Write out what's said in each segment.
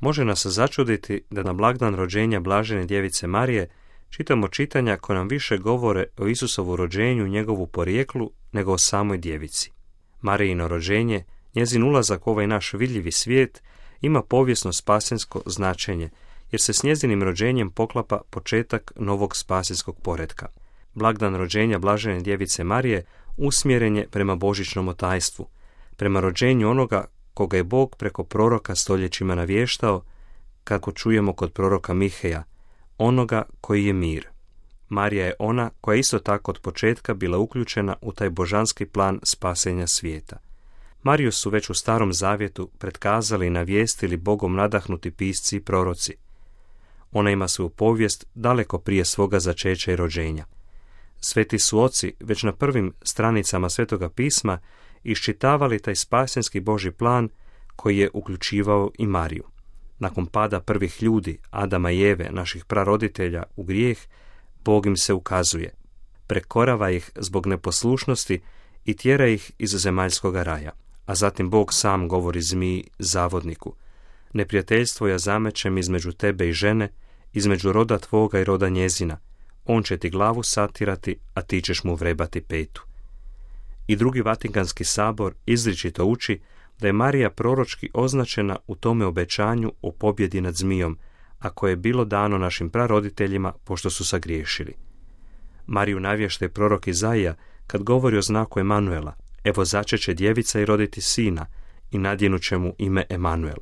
Može nas začuditi da na blagdan rođenja blažene djevice Marije čitamo čitanja koja nam više govore o Isusovu rođenju i njegovu porijeklu nego o samoj djevici. Marijino rođenje, njezin ulazak u ovaj naš vidljivi svijet, ima povijesno spasensko značenje, jer se s njezinim rođenjem poklapa početak novog spasenskog poretka. Blagdan rođenja blažene djevice Marije usmjeren je prema božićnom tajstvu, prema rođenju onoga koga je Bog preko proroka stoljećima navještao, kako čujemo kod proroka Miheja, onoga koji je mir. Marija je ona koja je isto tako od početka bila uključena u taj božanski plan spasenja svijeta. Mariju su već u Starom Zavjetu pretkazali i navijestili Bogom nadahnuti pisci i proroci. Ona ima svoju povijest daleko prije svoga začeća i rođenja. Sveti su oci već na prvim stranicama Svetoga pisma iščitavali taj spasenski Božji plan koji je uključivao i Mariju. Nakon pada prvih ljudi, Adama i Eve, naših praroditelja, u grijeh, Bog im se ukazuje. Prekorava ih zbog neposlušnosti i tjera ih iz zemaljskoga raja. A zatim Bog sam govori zmiji, zavodniku: neprijateljstvo ja zamećem između tebe i žene, između roda tvoga i roda njezina. On će ti glavu satirati, a ti ćeš mu vrebati petu. I Drugi Vatikanski sabor izričito uči da je Marija proročki označena u tome obećanju o pobjedi nad zmijom, a koje je bilo dano našim praroditeljima pošto su sagriješili. Mariju navještaj prorok Izaija kad govori o znaku Emanuela: evo začeće djevica i roditi sina i nadjenut će mu ime Emanuel.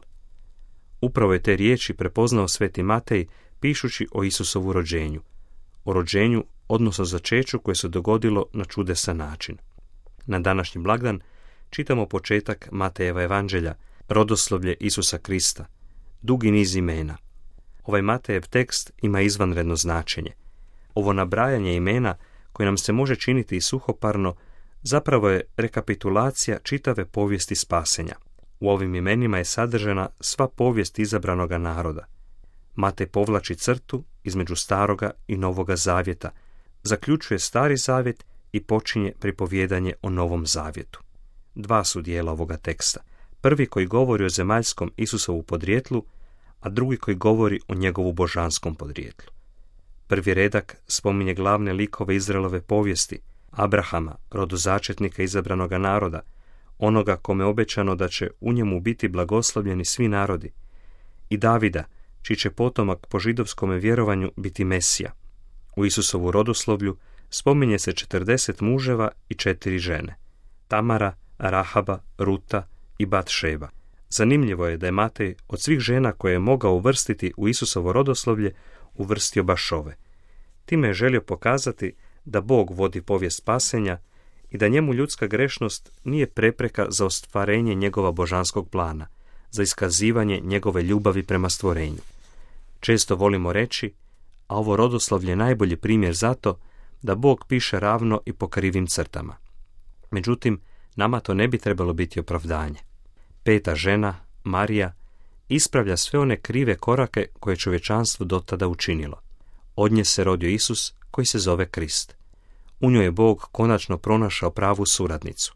Upravo je te riječi prepoznao sveti Matej pišući o Isusovu rođenju. O rođenju, odnosno začeću koje se dogodilo na čudesan način. Na današnji blagdan čitamo početak Matejeva evanđelja, rodoslovlje Isusa Krista, dugi niz imena. Ovaj Matejev tekst ima izvanredno značenje. Ovo nabrajanje imena, koje nam se može činiti i suhoparno, zapravo je rekapitulacija čitave povijesti spasenja. U ovim imenima je sadržana sva povijest izabranoga naroda. Matej povlači crtu između Staroga i Novoga Zavjeta, zaključuje Stari Zavjet i počinje pripovjedanje o Novom Zavjetu. Dva su dijela ovoga teksta. Prvi koji govori o zemaljskom Isusovu podrijetlu, a drugi koji govori o njegovu božanskom podrijetlu. Prvi redak spominje glavne likove Izraelove povijesti: Abrahama, rodozačetnika izabranoga naroda, onoga kome je obećano da će u njemu biti blagoslovljeni svi narodi, i Davida, čiji će potomak po židovskome vjerovanju biti Mesija. U Isusovu rodoslovlju spominje se 40 muževa i 4 žene: Tamara, Rahaba, Ruta i Batšeba. Zanimljivo je da je Matej od svih žena koje je mogao uvrstiti u Isusovo rodoslovlje uvrstio baš ove. Time je želio pokazati da Bog vodi povijest spasenja i da njemu ljudska grešnost nije prepreka za ostvarenje njegova božanskog plana, za iskazivanje njegove ljubavi prema stvorenju. Često volimo reći, a ovo rodoslovlje je najbolji primjer za to, da Bog piše ravno i po krivim crtama. Međutim, nama to ne bi trebalo biti opravdanje. Peta žena, Marija, ispravlja sve one krive korake koje je čovječanstvo do tada učinilo. Od nje se rodio Isus, koji se zove Krist. U njoj je Bog konačno pronašao pravu suradnicu.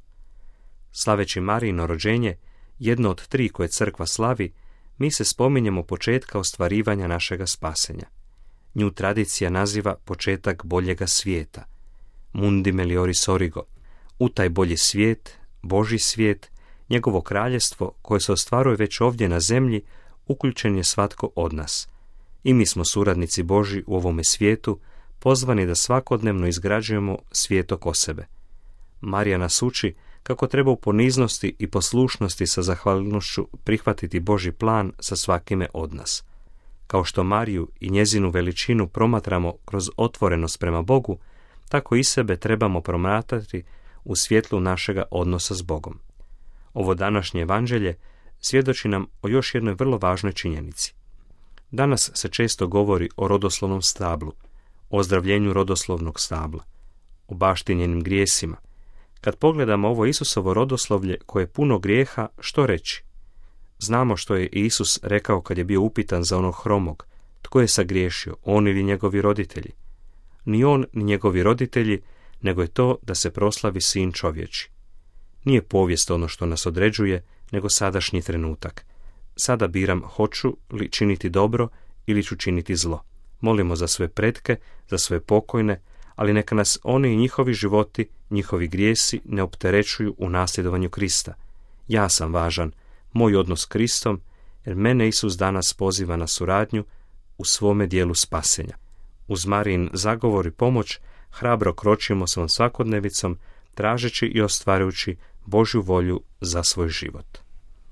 Slaveći Marijino rođenje, jedno od 3 koje crkva slavi, mi se spominjemo početka ostvarivanja našega spasenja. Nju tradicija naziva početak boljega svijeta, mundi melioris origo, u taj bolji svijet, Božji svijet, njegovo kraljestvo koje se ostvaruje već ovdje na zemlji, uključen je svatko od nas. I mi smo suradnici Božji u ovome svijetu, pozvani da svakodnevno izgrađujemo svijet oko sebe. Marija nas uči kako treba u poniznosti i poslušnosti sa zahvalnošću prihvatiti Božji plan sa svakime od nas. Kao što Mariju i njezinu veličinu promatramo kroz otvorenost prema Bogu, tako i sebe trebamo promatrati u svjetlu našega odnosa s Bogom. Ovo današnje evanđelje svjedoči nam o još jednoj vrlo važnoj činjenici. Danas se često govori o rodoslovnom stablu, o ozdravljenju rodoslovnog stabla, o baštinjenim grijesima. Kad pogledamo ovo Isusovo rodoslovlje koje je puno grijeha, što reći? Znamo što je Isus rekao kad je bio upitan za onog hromog: tko je sagriješio, on ili njegovi roditelji? Ni on, ni njegovi roditelji, nego je to da se proslavi Sin čovječi. Nije povijest ono što nas određuje, nego sadašnji trenutak. sada biram hoću li činiti dobro ili ću činiti zlo. Molimo za svoje pretke, za svoje pokojne, ali neka nas oni i njihovi životi, njihovi grijesi ne opterećuju u nasljedovanju Krista. Ja sam važan, moj odnos s Kristom, jer mene Isus danas poziva na suradnju u svome dijelu spasenja. Uz Marijin zagovor i pomoć hrabro kročimo svom svakodnevicom, tražeći i ostvarujući Božju volju za svoj život.